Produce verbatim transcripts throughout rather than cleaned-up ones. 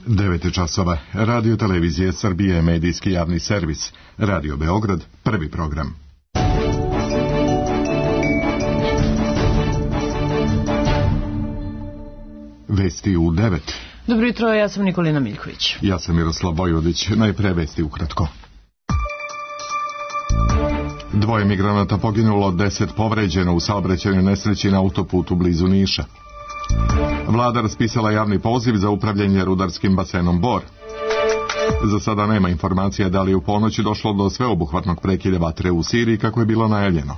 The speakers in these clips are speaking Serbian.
devet časova. Radio televizije Srbije, medijski javni servis. Radio Beograd, prvi program. Vesti u devet. Dobro jutro, ja sam Nikolina Miljković. Ja sam Miroslav Vojvodić. Najpre vesti ukratko. Dvoje migranata poginulo, deset povređeno u saobraćajnoj nesreći na autoputu blizu Niša. Vlada raspisala javni poziv za upravljanje rudarskim basenom Bor. Za sada nema informacija da li u ponoći došlo do sveobuhvatnog prekida vatre u Siriji kako je bilo najavljeno.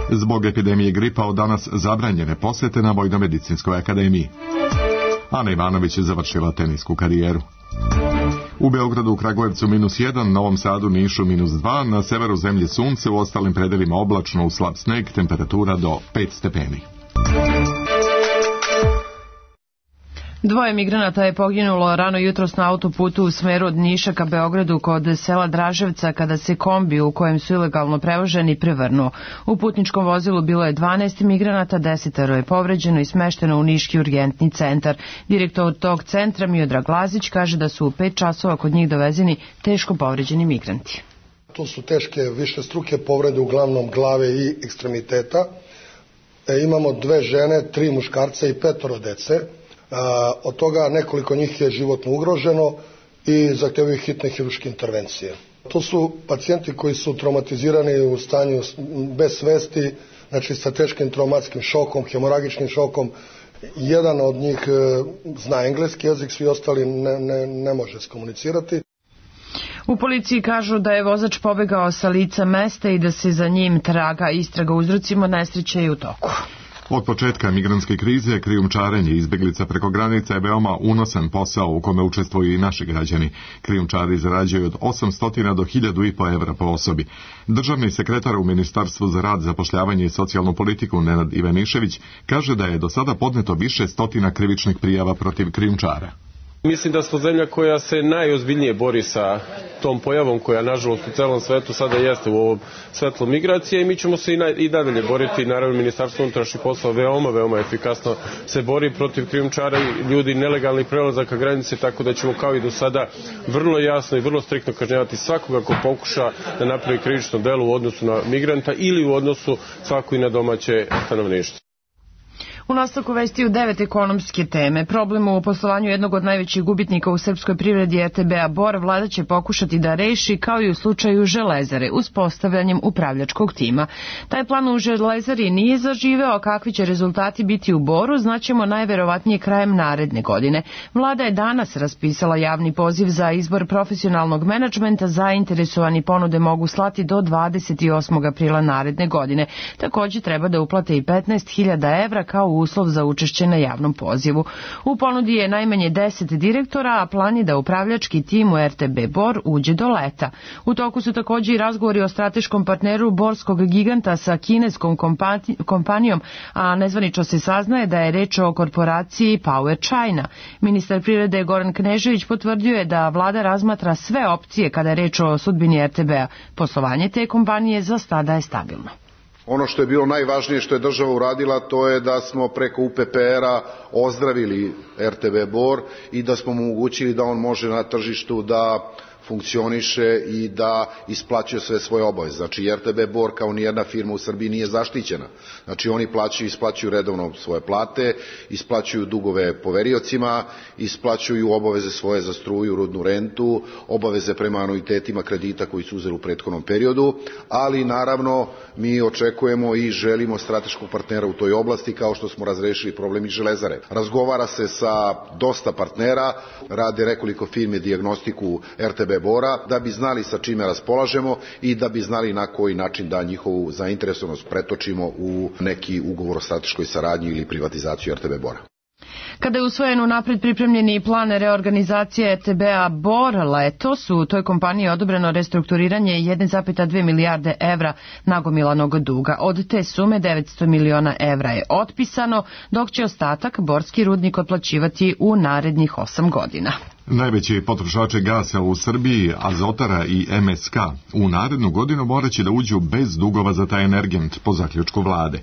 Zbog epidemije gripa od danas zabranjene posete na Vojno-medicinskoj akademiji. Ana Ivanović je završila tenisku karijeru. U Beogradu, u Kragujevcu minus jedan, Novom Sadu, Nišu minus dva, na severu zemlje sunce, u ostalim predelima oblačno, u slab sneg, temperatura do pet stepeni. Dvoje migranata je poginulo rano jutros na autoputu u smeru od Niša ka Beogradu kod sela Draževca kada se kombi u kojem su ilegalno prevoženi prevrnuo. U putničkom vozilu bilo je dvanaest migranata, desetero je povređeno i smešteno u Niški urgentni centar. Direktor tog centra Miodrag Lazić kaže da su u pet časova kod njih dovezeni teško povređeni migranti. To su teške višestruke povrede uglavnom glave i ekstremiteta. E, imamo dve žene, tri muškarca i petoro dece. A, od toga nekoliko njih je životno ugroženo i zahtevaju hitne hirurške intervencije. To su pacijenti koji su traumatizirani u stanju bez svesti, znači sa teškim traumatskim šokom, hemoragičnim šokom. Jedan od njih e, zna engleski jezik, svi ostali ne, ne, ne može skomunicirati. U policiji kažu da je vozač pobegao sa lica mesta i da se za njim traga istraga uzrocima nesreće i u toku. Od početka migrantske krize krijumčarenje izbjeglica preko granica je veoma unosan posao u kome učestvuju i naši građani. Krijumčari zarađuju od osamsto do hiljadu i po evra po osobi. Državni sekretar u Ministarstvu za rad, zapošljavanje i socijalnu politiku Nenad Ivanišević kaže da je do sada podneto više stotina krivičnih prijava protiv krijumčara. Mislim da smo zemlja koja se najozbiljnije bori sa tom pojavom koja nažalost u celom svetu sada jeste u ovom svetlu migracije i mi ćemo se i, na, i nadalje boriti. Naravno, Ministarstvo unutrašnjih poslova veoma, veoma efikasno se bori protiv krijumčara i ljudi nelegalnih prelazaka granice, tako da ćemo kao i do sada vrlo jasno i vrlo striktno kažnjavati svakoga ko pokuša da napravi krivično delo u odnosu na migranta ili u odnosu svako i na domaće stanovništvo. U nastavku vesti u devet ekonomske teme. Problem u poslovanju jednog od najvećih gubitnika u srpskoj privredi R T B-a Bor vlada će pokušati da reši kao i u slučaju Železare uspostavljanjem upravljačkog tima. Taj plan u Železari nije zaživeo, a kakvi će rezultati biti u Boru znaćemo najverovatnije krajem naredne godine. Vlada je danas raspisala javni poziv za izbor profesionalnog menadžmenta. Zainteresovani ponude mogu slati do dvadeset osmog aprila naredne godine. Također treba da uplate i petnaest hiljada evra kao uslov za učešće na javnom pozivu. U ponudi je najmanje deset direktora, a plan je da upravljački tim u R T B Bor uđe do leta. U toku su također i razgovori o strateškom partneru borskog giganta sa kineskom kompanijom, a nezvanično se saznaje da je reč o korporaciji Power China. Ministar privrede Goran Knežević potvrdio je da vlada razmatra sve opcije kada je reč o sudbini R T B-a. Poslovanje te kompanije za sada je stabilno. Ono što je bilo najvažnije što je država uradila, to je da smo preko U P P R-a ozdravili R T B Bor i da smo mu omogućili da on može na tržištu da funkcioniše i da isplaćuje sve svoje obaveze. Znači R T B Bor kao nijedna firma u Srbiji nije zaštićena. Znači oni plaćaju, isplaćuju redovno svoje plate, isplaćuju dugove poveriocima, isplaćuju obaveze svoje za struju, rudnu rentu, obaveze prema anuitetima kredita koji su uzeli u prethodnom periodu, ali naravno mi očekujemo i želimo strateškog partnera u toj oblasti kao što smo razrešili problem iz Železare. Razgovara se sa dosta partnera, rade nekoliko firme dijagnostiku R T B Bora, da bi znali sa čime raspolažemo i da bi znali na koji način da njihovu zainteresovanost pretočimo u neki ugovor o strateškoj saradnji ili privatizaciju R T B Bora. Kada je usvojen unapred pripremljeni plan reorganizacije R T B-a Bor letos, u toj kompaniji odobreno restrukturiranje jedne zarez dve milijarde evra nagomilanog duga. Od te sume devetsto miliona evra je otpisano, dok će ostatak borski rudnik otplaćivati u narednih osam godina. Najveći potrošači gasa u Srbiji, Azotara i M S K, u narednu godinu moraće da uđu bez dugova za taj energent po zaključku vlade.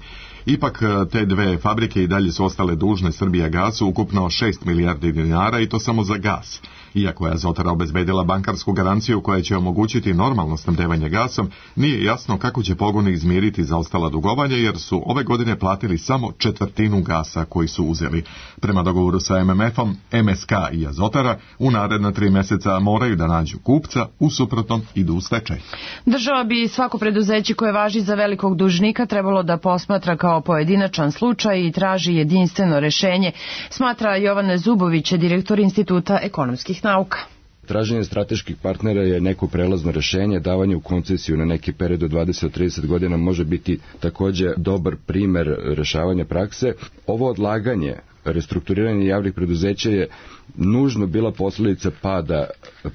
Ipak te dve fabrike i dalje su ostale dužne Srbijagasu ukupno šest milijardi dinara i to samo za gas. Iako je Azotara obezbedila bankarsku garanciju koja će omogućiti normalno snabdevanje gasom, nije jasno kako će pogoni izmiriti zaostala dugovanja jer su ove godine platili samo četvrtinu gasa koji su uzeli. Prema dogovoru sa M M F-om, M S K i Azotara u naredna tri meseca moraju da nađu kupca, u suprotnom idu u stečaj. Država bi svako preduzeće koje važi za velikog dužnika trebalo da posmatra kao pojedinačan slučaj i traži jedinstveno rešenje, smatra Jovan Zubović, direktor Instituta ekonomskih nauka. Traženje strateških partnera je neko prelazno rešenje, davanje u koncesiju na neki period od dvadeset do trideset godina može biti takođe dobar primer rešavanja prakse. Ovo odlaganje, restrukturiranje javnih preduzeća je nužno bila posledica pada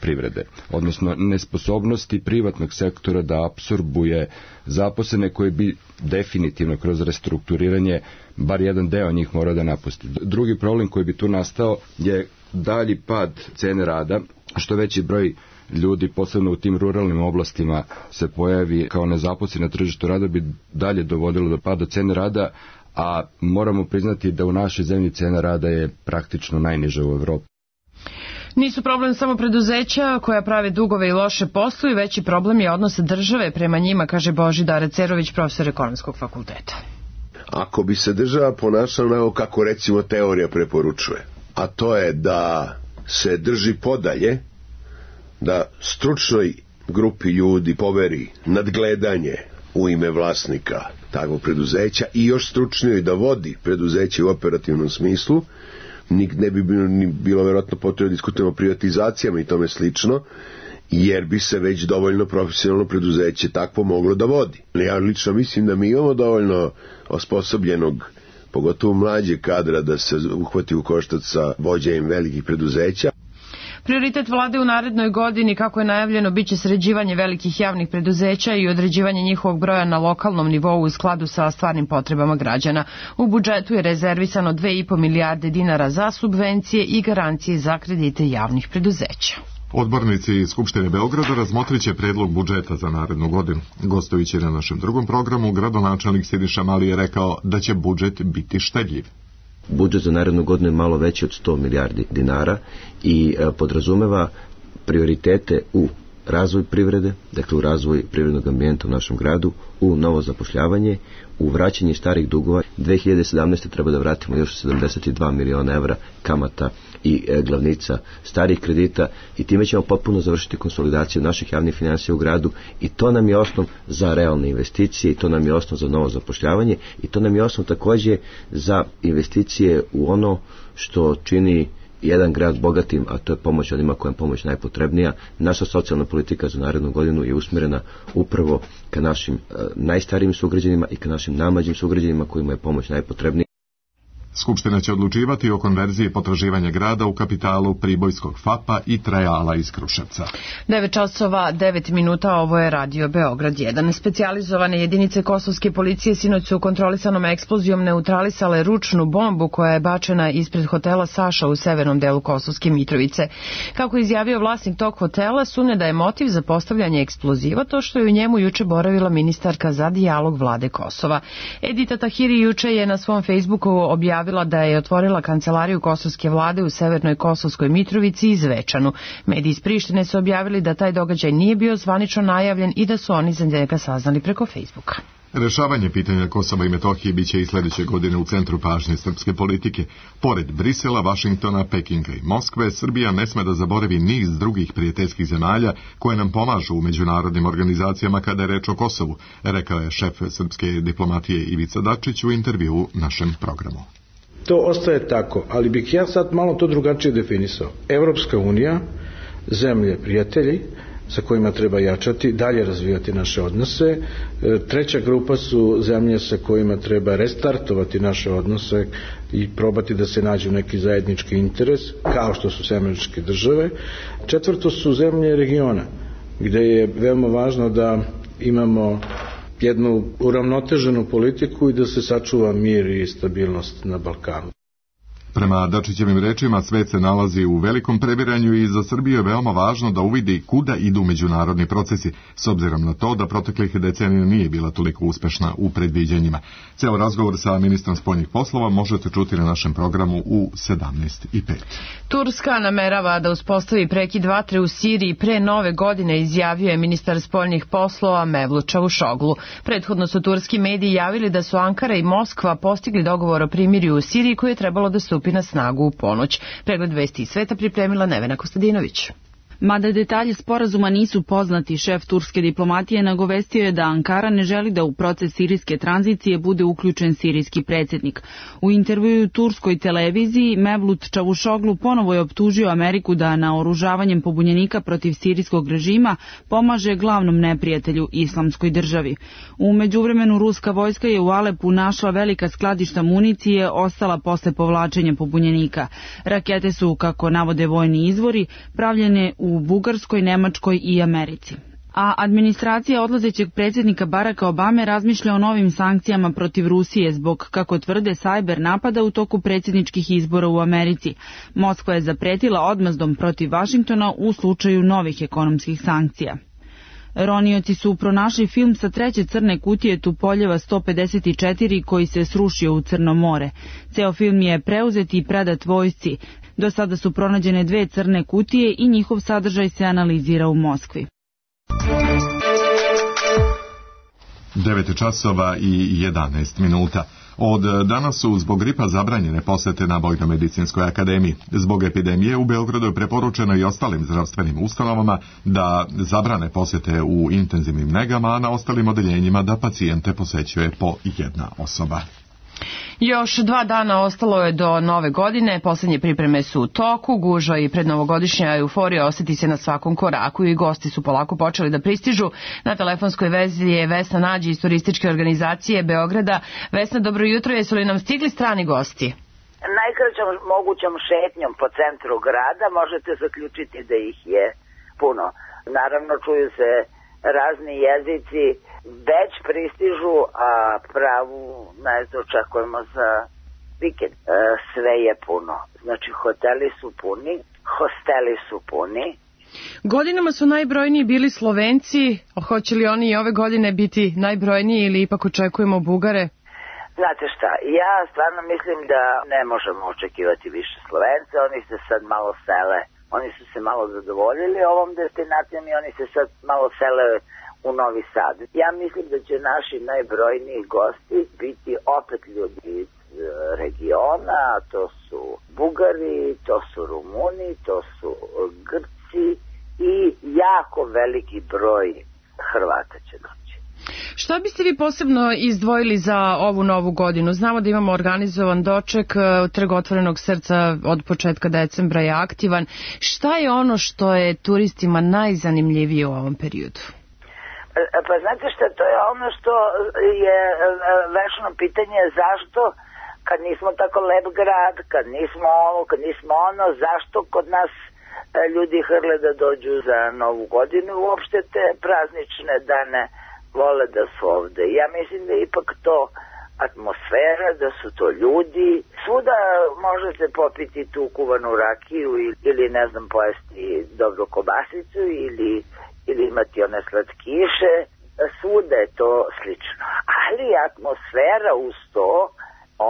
privrede, odnosno nesposobnosti privatnog sektora da apsorbuje zaposlene koje bi definitivno kroz restrukturiranje bar jedan deo njih mora da napusti. Drugi problem koji bi tu nastao je dalji pad cene rada, što veći broj ljudi, posebno u tim ruralnim oblastima, se pojavi kao nezaposleni na tržištu rada, bi dalje dovodilo do pada cene rada, a moramo priznati da u našoj zemlji cena rada je praktično najniža u Evropi. Nisu problem samo preduzeća koja prave dugove i loše posluju, veći problem je odnos države prema njima, kaže Božidar Cerović, profesor ekonomskog fakulteta. Ako bi se država ponašala onako kako recimo teorija preporučuje, a to je da se drži podalje, da stručnoj grupi ljudi poveri nadgledanje u ime vlasnika takvog preduzeća i još stručnijoj da vodi preduzeće u operativnom smislu, ne bi bilo, ni bilo vjerojatno potrebno da diskutujemo o privatizacijama i tome slično, jer bi se već dovoljno profesionalno preduzeće takvo moglo da vodi. Ja lično mislim da mi imamo dovoljno osposobljenog, pogotovo mlađe kadra, da se uhvati u koštac sa vođenjem velikih preduzeća. Prioritet vlade u narednoj godini, kako je najavljeno, biće sređivanje velikih javnih preduzeća i određivanje njihovog broja na lokalnom nivou u skladu sa stvarnim potrebama građana. U budžetu je rezervisano dve i po milijarde dinara za subvencije i garancije za kredite javnih preduzeća. Odbornici Skupštine Beograda razmotrit će predlog budžeta za narednu godinu. Gostujući na našem drugom programu, gradonačelnik Siniša Mali je rekao da će budžet biti štedljiv. Budžet za narednu godinu je malo veći od sto milijardi dinara i e, podrazumeva prioritete u razvoj privrede, dakle u razvoj privrednog ambijenta u našem gradu, u novo zapošljavanje, u vraćanje starih dugova. dve hiljade sedamnaeste. treba da vratimo još sedamdeset dva miliona evra kamata i e, glavnica starih kredita i time ćemo potpuno završiti konsolidaciju naših javnih finansija u gradu i to nam je osnov za realne investicije i to nam je osnov za novo zapošljavanje i to nam je osnov takođe za investicije u ono što čini jedan grad bogatim, a to je pomoć onima koja je pomoć najpotrebnija. Naša socijalna politika za narednu godinu je usmjerena upravo ka našim e, najstarijim sugrađanima i ka našim najmlađim sugrađanima kojima je pomoć najpotrebnija. Skupština će odlučivati o konverziji potraživanja grada u kapitalu Pribojskog F A P-a i Trajala iz Kruševca. devet časova devet minuta, ovo je Radio Beograd jedan. Specijalizovane jedinice kosovske policije sinoć su kontrolisanom eksplozijom neutralisale ručnu bombu koja je bačena ispred hotela Saša u severnom delu Kosovske Mitrovice. Kako je izjavio vlasnik tog hotela, sumnja da je motiv za postavljanje eksploziva to što je u njemu juče boravila ministarka za dijalog vlade Kosova. Edita Tahiri juče je na svom Facebooku objavila da je otvorila kancelariju kosovske vlade u severnoj Kosovskoj Mitrovici i Zvečanu. Mediji iz Prištine su objavili da taj događaj nije bio zvanično najavljen i da su oni za njega saznali preko Facebooka. Rešavanje pitanja Kosova i Metohije biće i sljedeće godine u centru pažnje srpske politike. Pored Brisela, Vašingtona, Pekinga i Moskve, Srbija ne sme da zaboravi niz drugih prijateljskih zemalja koje nam pomažu u međunarodnim organizacijama kada je reč o Kosovu, rekao je šef srpske diplomatije Ivica Dačić u intervjuu našem programu. To ostaje tako, ali bih ja sad malo to drugačije definisao. Evropska unija, zemlje prijatelji sa kojima treba jačati, dalje razvijati naše odnose. Treća grupa su zemlje sa kojima treba restartovati naše odnose i probati da se nađu neki zajednički interes, kao što su Američke države. Četvrto su zemlje regiona, gde je veoma važno da imamo jednu uravnoteženu politiku i da se sačuva mir i stabilnost na Balkanu. Prema Dačićevim rečima, svet se nalazi u velikom previranju i za Srbiju je veoma važno da uvidi kuda idu međunarodni procesi, s obzirom na to da proteklih decenija nije bila toliko uspešna u predviđanjima. Ceo razgovor sa ministrom spoljnih poslova možete čuti na našem programu u sedamnaest i pet. Turska namerava da uspostavi prekid vatre u Siriji pre nove godine, izjavio je ministar spoljnih poslova Mevlut Čavuşoglu. Prethodno su turski mediji javili da su Ankara i Moskva postigli dogovor o primirju u Siriji koji je trebalo da stupi na snagu u ponoć. Pregled vesti iz sveta pripremila Nevena Kostadinović. Mada detalji sporazuma nisu poznati, šef turske diplomatije nagovestio je da Ankara ne želi da u proces sirijske tranzicije bude uključen sirijski predsjednik. U intervjuu turskoj televiziji Mevlut Čavuşoglu ponovo je optužio Ameriku da naoružavanjem pobunjenika protiv sirijskog režima pomaže glavnom neprijatelju Islamskoj državi. U međuvremenu ruska vojska je u Alepu našla velika skladišta municije ostala posle povlačenja pobunjenika. Rakete su, kako navode vojni izvori, pravljene u Bugarskoj, Nemačkoj i Americi. A administracija odlazećeg predsjednika Baracka Obame razmišlja o novim sankcijama protiv Rusije zbog, kako tvrde, sajber napada u toku predsjedničkih izbora u Americi. Moskva je zapretila odmazdom protiv Vašingtona u slučaju novih ekonomskih sankcija. Ronioci su pronašli film sa treće crne kutije Tupoljeva sto pedeset četiri koji se srušio u Crno more. Ceo film je preuzet i predat vojsci. Do sada su pronađene dve crne kutije i njihov sadržaj se analizira u Moskvi. devet časova i jedanaest minuta. Od danas su zbog gripa zabranjene posete na Vojno-medicinskoj akademiji. Zbog epidemije u Beogradu je preporučeno i ostalim zdravstvenim ustanovama da zabrane posete u intenzivnim negama, a na ostalim odeljenjima da pacijente posećuje po jedna osoba. Još dva dana ostalo je do nove godine, posljednje pripreme su u toku, gužva i prednovogodišnja euforija osjeti se na svakom koraku i gosti su polako počeli da pristižu. Na telefonskoj vezi je Vesna Nađi iz turističke organizacije Beograda. Vesna, dobro jutro, jesu li nam stigli strani gosti? Najkraćom mogućom šetnjom po centru grada možete zaključiti da ih je puno. Naravno čuju se razni jezici, već pristižu, a pravu najzad očekujemo za vikend. E, sve je puno. Znači, hoteli su puni, hosteli su puni. Godinama su najbrojniji bili Slovenci. Hoće li oni i ove godine biti najbrojniji ili ipak očekujemo Bugare? Znate šta, ja stvarno mislim da ne možemo očekivati više Slovenca. Oni se sad malo sele. Oni su se malo zadovoljili ovom destinacijom i oni se sad malo sele u Novi Sad. Ja mislim da će naši najbrojniji gosti biti opet ljudi iz regiona, to su Bugari, to su Rumuni, to su Grci i jako veliki broj Hrvata će doći. Šta biste vi posebno izdvojili za ovu novu godinu? Znamo da imamo organizovan doček, Trg otvorenog srca od početka decembra je aktivan. Šta je ono što je turistima najzanimljivije u ovom periodu? Pa znate što, to je ono što je večno pitanje, zašto kad nismo tako lep grad, kad nismo ovo, kad nismo ono, zašto kod nas ljudi hrle da dođu za novu godinu, uopšte te praznične dane vole da su ovde. Ja mislim da je ipak to atmosfera, da su to ljudi. Svuda možete popiti tu kuvanu rakiju ili ne znam pojesti dobru kobasicu ili ili imati one slatkiše, svuda je to slično. Ali atmosfera uz to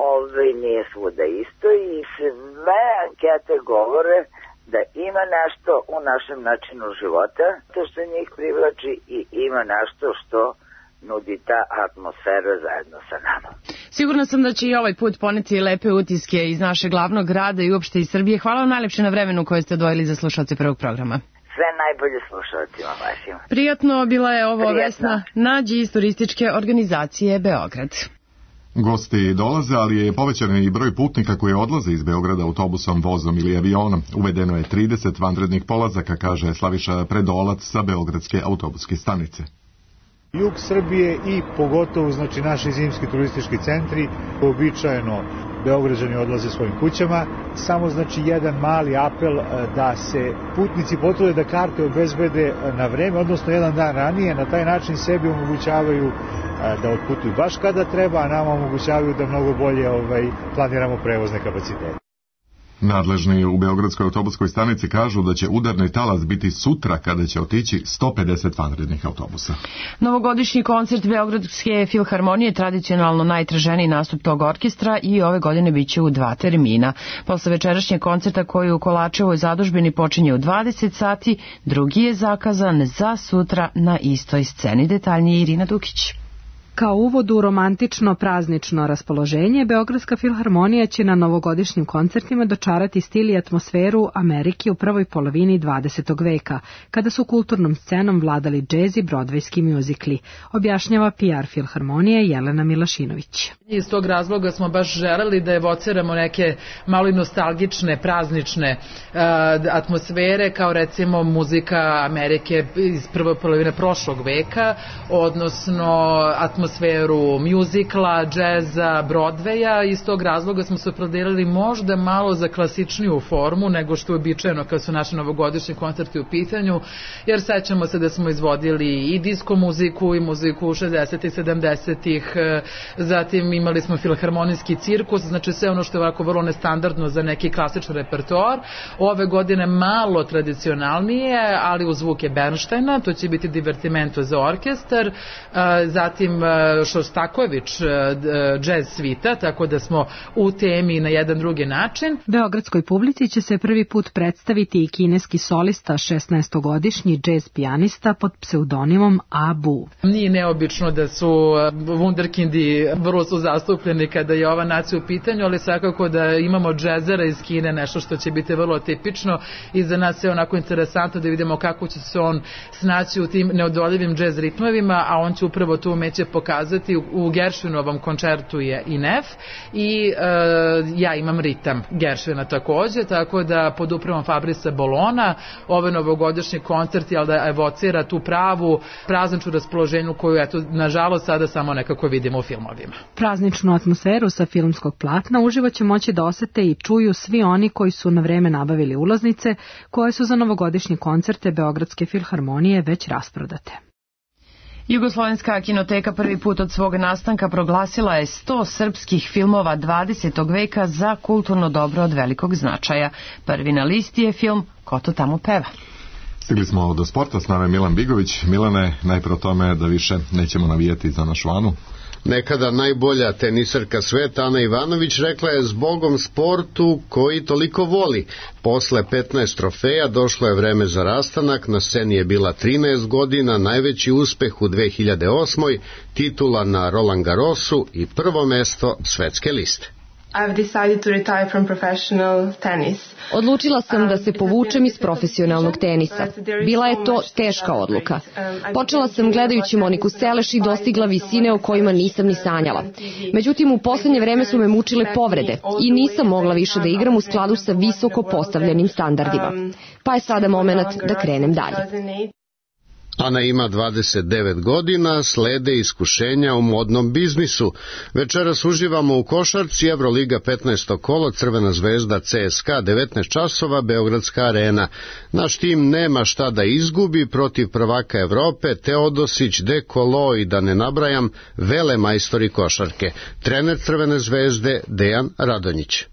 ovaj, nije svuda isto i sve ankete govore da ima nešto u našem načinu života, to što njih privlači i ima nešto što nudi ta atmosfera zajedno sa nama. Sigurna sam da će i ovaj put poneti lepe utiske iz našeg glavnog grada i uopšte iz Srbije. Hvala vam najlepše na vremenu koje ste odvojili za slušalce prvog programa. Sve najbolje slušalcima vašim. Prijatno, bila je ovo Prijatno. Vesna Nađi iz turističke organizacije Beograd. Gosti dolaze, ali je povećan i broj putnika koji odlaze iz Beograda autobusom, vozom ili avionom. Uvedeno je trideset vanrednih polazaka, kaže Slaviša Predolac sa Beogradske autobuske stanice. Jug Srbije i pogotovo znači naši zimski turistički centri uobičajeno Beograđani odlaze svojim kućama. Samo znači jedan mali apel da se putnici potrude da karte obezbede na vreme, odnosno jedan dan ranije, na taj način sebi omogućavaju da otputuju baš kada treba, a nama omogućavaju da mnogo bolje ovaj, planiramo prevozne kapacitete. Nadležni u Beogradskoj autobuskoj stanici kažu da će udarni talas biti sutra kada će otići sto pedeset vanrednih autobusa. Novogodišnji koncert Beogradske filharmonije tradicionalno najtraženiji nastup tog orkestra i ove godine biće u dva termina. Posle večerašnjeg koncerta koji u Kolačevoj zadužbini počinje u dvadeset sati, drugi je zakazan za sutra na istoj sceni. Detaljnije Irina Dukić. Kao uvod u romantično praznično raspoloženje, Beogradska filharmonija će na novogodišnjim koncertima dočarati stil i atmosferu Amerike u prvoj polovini dvadesetog veka, kada su kulturnom scenom vladali džez i brodvejski mjuzikli, objašnjava P R filharmonije Jelena Milašinović. Iz tog razloga smo baš želeli da evociramo neke malo nostalgične, praznične uh, atmosfere, kao recimo muzika Amerike iz prve polovine prošlog veka, odnosno atmosfera atmosferu mjuzikla, džeza, Brodveja. Iz tog razloga smo se opredelili možda malo za klasičniju formu nego što je običajeno kad su naši novogodišnji koncerti u pitanju, jer sećamo se da smo izvodili i disko muziku i muziku šezdesetih i sedamdesetih, zatim imali smo filharmonijski cirkus, znači sve ono što je ovako vrlo nestandardno za neki klasični repertoar. Ove godine malo tradicionalnije, ali uz zvuke Bernsteina, to će biti divertimento za orkestar, zatim Šostaković džez svita, tako da smo u temi na jedan drugi način. Beogradskoj publici će se prvi put predstaviti i kineski solista, šesnaestogodišnji džez pijanista pod pseudonimom Abu. Nije neobično da su wunderkindi vrlo su zastupljeni kada je ova nacija u pitanju, ali svakako da imamo džezera iz Kine, nešto što će biti vrlo tipično i za nas je onako interesantno da vidimo kako će se on snaći u tim neodoljivim džez ritmovima, a on će upravo tu umeće pokazati. U Gershwinovom koncertu je i nef i e, ja imam ritam Gershwina takođe, tako da pod upravom Fabrice Bolona ove novogodišnji koncert je da evocira tu pravu prazničnu raspoloženju koju eto nažalost sada samo nekako vidimo u filmovima. Prazničnu atmosferu sa filmskog platna uživo će moći da osete i čuju svi oni koji su na vreme nabavili ulaznice koje su za novogodišnje koncerte Beogradske filharmonije već rasprodate. Jugoslovenska kinoteka prvi put od svog nastanka proglasila je sto srpskih filmova dvadesetog veka za kulturno dobro od velikog značaja. Prvi na listi je film Ko to tamo peva. Stigli smo do sporta, s nama je Milan Bigović. Milane, najpre o tome da više nećemo navijeti za našu Anu. Nekada najbolja tenisarka sveta Ana Ivanović rekla je zbogom sportu koji toliko voli. Posle petnaest trofeja došlo je vreme za rastanak, na sceni je bila trinaest godina, najveći uspeh u dve hiljade osmoj, titula na Roland Garrosu i prvo mesto svetske liste. I've decided to retire from professional tennis. Odlučila sam da se povučem iz profesionalnog tenisa. Bila je to teška odluka. Počela sam gledajući Moniku Seleš i dostigla visine o kojima nisam ni sanjala. Međutim, u poslednje vreme su me mučile povrede i nisam mogla više da igram u skladu sa visoko postavljenim standardima. Pa je sada moment da krenem dalje. Ana ima dvadeset devet godina, slede iskušenja u modnom biznisu. Večeras uživamo u košarci, Evroliga petnaesto kolo, Crvena zvezda C S K A devetnaest časova, Beogradska arena. Naš tim nema šta da izgubi protiv prvaka Evrope, Teodosić, Dekolo i da ne nabrajam, vele majstori košarke. Trener Crvene zvezde Dejan Radonjić.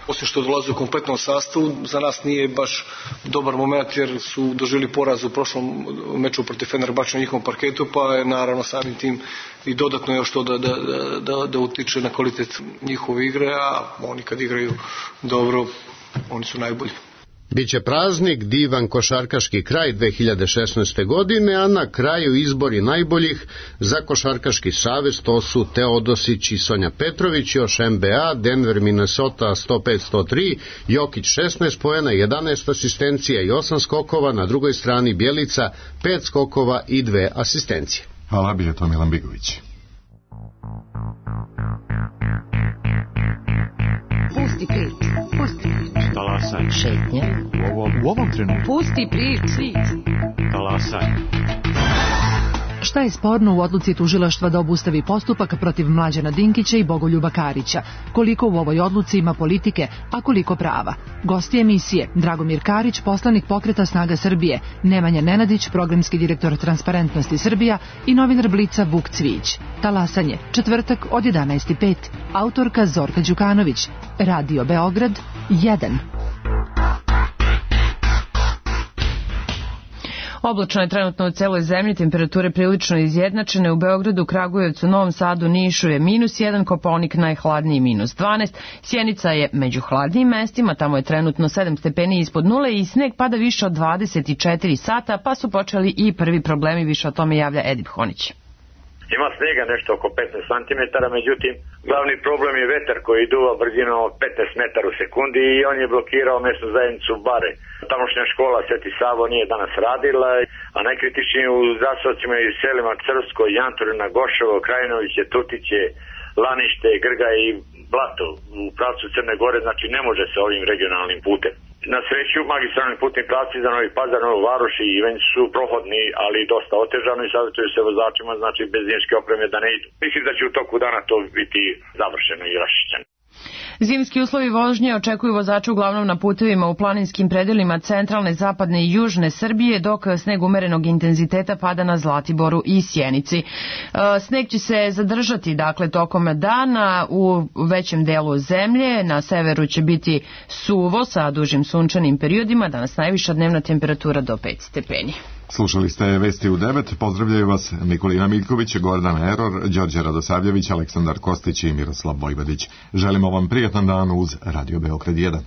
Osim što dolaze u kompletnom sastavu, za nas nije baš dobar moment jer su doživjeli poraz u prošlom meču protiv Fenerbahče na njihovom parketu, pa je naravno samim tim i dodatno još to da, da, da, da utiče na kvalitet njihove igre, a oni kad igraju dobro, oni su najbolji. Biće praznik, divan košarkaški kraj dve hiljade šesnaeste. godine, a na kraju izbori najboljih za Košarkaški savez, to su Teodosić i Sonja Petrović, još N B A, Denver, Minnesota sto pet sto tri, Jokić šesnaest poena, jedanaest asistencija i osam skokova, na drugoj strani Bjelica pet skokova i dve asistencije. Hvala, bio je to Milan Bigović. Pusti priču, pusti priču. Talasaj. Šetnje. U ovom, u ovom trenutku. Pusti priču. Talasaj. Šta je sporno u odluci tužilaštva da obustavi postupak protiv Mlađana Dinkića i Bogoljuba Karića? Koliko u ovoj odluci ima politike, a koliko prava? Gosti emisije: Dragomir Karić, poslanik Pokreta Snaga Srbije, Nemanja Nenadić, programski direktor Transparentnosti Srbija i novinar Blica Vuk Cvijić. Talasanje, četvrtak od jedanaest i pet. Autorka Zorka Đukanović. Radio Beograd jedan. Oblačno je trenutno u celoj zemlji, temperature prilično izjednačene. U Beogradu, Kragujevcu, Novom Sadu, Nišu je minus jedan, Kopaonik najhladniji minus dvanaest. Sjenica je među hladnijim mestima, tamo je trenutno sedam stepeni ispod nule i sneg pada više od dvadeset četiri sata, pa su počeli i prvi problemi, više o tome javlja Edip Honić. Ima snega nešto oko petnaest santimetara, međutim, glavni problem je vetar koji duva brzinom od petnaest metara u sekundi i on je blokirao mesnu zajednicu Bare. Tamošnja škola Sveti Savo nije danas radila, a najkritičniji u zaseocima i selima Crvsko, Janturina, Goševo, Krajinoviće, Tutiće, Lanište, Grga i Blato u pravcu Crne Gore, znači ne može se ovim regionalnim putem. Na sreću, magistralni putni pravci za Novi Pazar, Novu Varoš i Ivanj su prohodni, ali dosta otežani i savjetuju se vozačima, znači bez zimske opreme da ne idu. Mislim da će u toku dana to biti završeno i raščišćeno. Zimski uslovi vožnje očekuju vozače uglavnom na putevima u planinskim predelima centralne, zapadne i južne Srbije, dok sneg umerenog intenziteta pada na Zlatiboru i Sjenici. Sneg će se zadržati dakle tokom dana u većem delu zemlje, na severu će biti suvo sa dužim sunčanim periodima, danas najviša dnevna temperatura do pet stepeni. Slušali ste Vesti u devet, pozdravljaju vas Nikolina Miljković, Gordana Eror, Đorđe Radosavljević, Aleksandar Kostić i Miroslav Vojvodić. Želimo vam prijatan dan uz Radio Beograd jedan.